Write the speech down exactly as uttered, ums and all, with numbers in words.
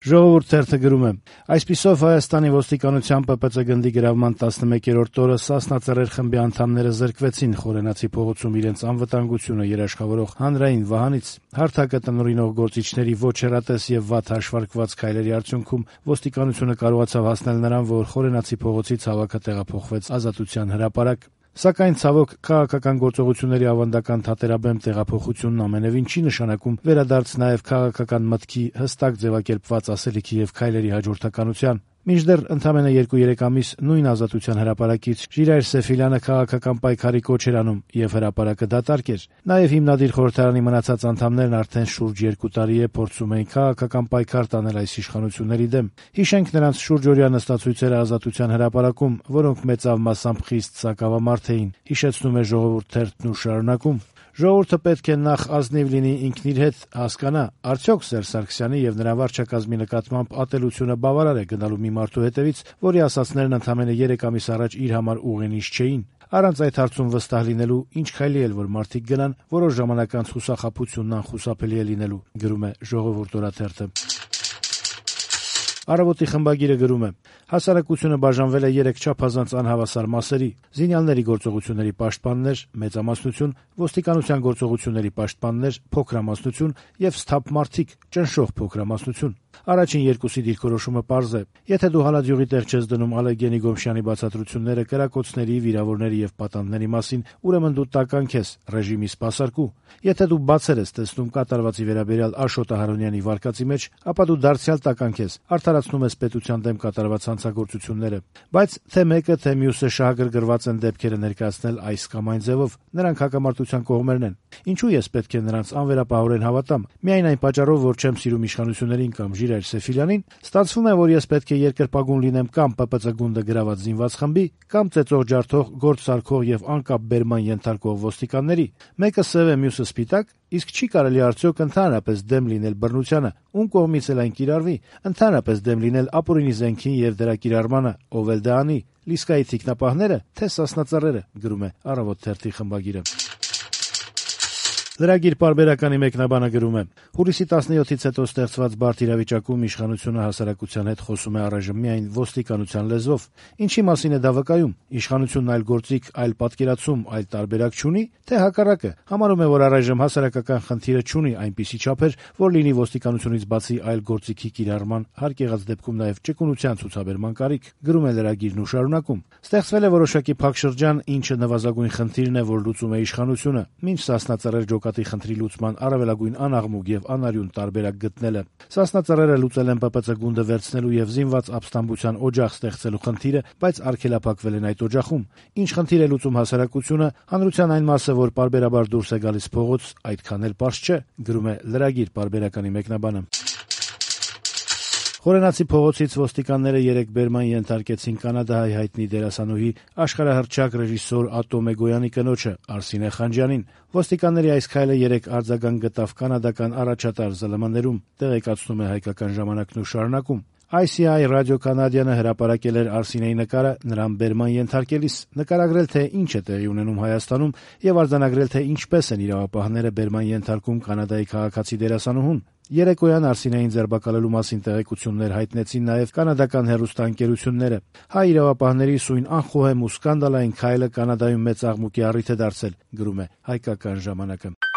Ժողովուրդ թերթը գրում է. այսպիսով Հայաստանի ոստիկանության ՊՊԾ գնդի գրավման տասնմեկերորդ օրը Սասնա Ծռեր խմբի անդամները զրկվեցին Խորենացի փողոցում իրենց անվտանգությունը երաշխավորող հանրային վահանից։ Հարթակը տնօրինող գործիչների ոչ հեռատես եւ վատ հաշվարկված քայլերի արդյունքում ոստիկանությունը կարողացավ հասնել նրան, որ Խորենացի փողոցից հավաքը տեղափոխվեց Ազատության հրապարակ։ Սակայն ցավոք քաղաքական գործողությունների ավանդական թատերաբեմ տեղափոխությունն ամենևին չի նշանակում վերադարձ նաև քաղաքական մտքի հստակ ձևակերպված ասելիքի եւ քայլերի հաջորդականության։ Մինչդեռ ընդամենը երկու-երեք ամիս նույն Ազատության հրապարակից Ժիրայր Սեֆիլյանը քաղաքական պայքարի կոչ էր անում եւ հրապարակը դատարկ էր։ Նաեւ հիմնադիր խորհրդարանի մնացած անդամներն արդեն շուրջ երկու տարի է փորձում էին քաղաքական պայքար տանել այս իշխանությունների դեմ։ Հիշենք նրանց շուրջօրյա նստածույցերը Ազատության հրապարակում, որոնք մեծավ մասամբ խիստ սակավամարդ էին, հիշեցնում է Ժողովուրդ թերթն ու շարունակում. Ժողովուրդը պետք է նախ ազնիվ լինի ինքն իր հետ, հասկանա, արդյոք Սերժ Սարգսյանի եւ նրա վարչակազմի նկատմամբ ատելությունը բավարար է գնալու մի մարդու հետևից, որի ասածներն ընդամենը երեք ամիս առաջ իր համար ուղենիշ չէին։ Առանց այդ հարցում վստահ լինելու ինչ քայլի էլ որ մարդիկ գնան, որոշ ժամանակ անց խուսափությունն անխուսափելի է լինելու, գրում է Ժողովուրդ օրաթերթը։ Առավոտի խմբագիրը գրում է. հասարակությունը բաժանվել է երեք չափազանց անհավասար մասերի՝ զինյալների գործողությունների պաշտպաններ, մեծամասնություն, ոստիկանության գործողությունների պաշտպաններ, փոքրամասնություն եւ սթափ մարդիկ, ճնշող փոքրամասնություն։ Առաջին երկուսի դիրքորոշումը պարզ է. եթե դու հալածյուղի տեղ չես դնում Ալեգենի Գոմշյանի բացատրությունները կրակոցների, վիրավորների եւ պատանդների մասին, ուրեմն դու տականք ես, ռեժիմի սպասարկու։ Եթե դու բացեր ես տեսնում կատարվածի վերաբերյալ Աշոտ Ահարոնյանի վարկածի մեջ, ապա դու դարձյալ տականք ես, արդարացնում ես պետության դեմ կատարված հանցագործությունները։ Բայց թե մեկը, թե մյուսը շահագրգռված են դեպքերը ներկայացնել այս կամ այն ձևով, նրանք հակամարտության կողմերն են։ Ինչու ես պետք է նրանց անվերապահորեն հավատամ։ Միայն այն պատճառով, որ չեմ սիրում իշխանություններին կամ Ժիրայր Սեֆիլյանին, ստացվում է, որ ես պետք է երկրպագուն լինեմ կամ ՊՊԾ գունդը գրաված զինված խմբի, կամ ծեծող ջարդող, գործ սարքող եւ անկապ բերման ենթարկող ոստիկանների։ Մեկը սև է, մյուսը սպիտակ, իսկ չի կարելի արդյոք ընդհանրապես դեմ լինել բռնությանը, ում կողմից էլ այն կիրառվի, ընդհանրապես դեմ լինել ապօրինի զենքին եւ դրա կիրառմանը, ով էլ դա անի, Լիսկայի թիկնապահները, թե Սասնա Ծռերը, գրում է Առավոտ թերթի խմբագիրը։ Լրագիր պարբերականի մեկնաբանը գրում է. հուլիսի տասնյոթից հետո ստեղծված բարդ իրավիճակում իշխանությունը հասարակության հետ խոսում է առայժմ միայն ոստիկանության լեզվով։ Ինչի մասին է դա վկայում։ Իշխանությունն այլ գործիք, այլ պատկերացում, այլ տարբերակ չունի, թե հակառակը, համարում է, որ առայժմ հասարակական խնդիրը չունի այնպիսի չափեր, որ լինի ոստիկանությունից բացի այլ գործիքի կիրառման, հարկ եղած դեպքում նաև ճկունության ցուցաբերման կարիք, գրում է լրագիրն ու շարունակում. ստեղծվել է որոշակի փակ շրջան, ինչը նվազագույն խնդիրն է, որ լուծում է իշխանությունը, մինչ Սասնա Ծռեր ջոկատի խնդրի լուծման առավելագույն անաղմուկ եւ անարյուն տարբերակ գտնելը։ Սասնա Ծռերը լուծել են ՊՊՑ գունդը վերցնելու եւ զինված ապստամբության օջախ ստեղծելու խնդիրը, բայց արգելափակվել են այդ օջախում։ Ինչ խնդիր է լուծում հասարակությունը, հանրության այն մասը, որ պարբերաբար դուրս է գալիս փողոց, այդքան էլ պարզ չէ, գրում է լրագիր պարբերականի մեկնաբանը։ Խորենացի փողոցից ոստիկանները երեկ բերման ենթարկեցին կանադահայ հայտնի դերասանուհի աշխարհահռչակ ռեժիսոր Ատո Մեգոյանի կնոջը Արսինե Խանջյանին։ Ոստիկանների այս քայլը երեկ արձագանք գտավ կանադական առաջատար Զ Լ M-ներում, տեղեկացնում է Հայկական ժամանակն ու շարունակում։ I C I ռադիոկանադյանը հրապարակել էր Արսինեի նկարը նրան բերման ենթարկելիս, նկարագրել թե ինչ է տեղի ունենում Հայաստանում եւ արձանագրել թե ինչպես են իրավապահները բերման ենթարկում Կանադայի քաղաքացի դերասանուհուն։ Երեկոյան Արսինեին ձերբակալելու մասին տեղեկություններ հայտնեցին նաև կանադական հեռուստաընկերությունները։ Հայ իրավապահների սույն անխոհեմ ու սկանդալային քայլը Կանադայում մեծ աղմուկի առիթ է դարձել, գրում է Հայկական ժամանակը։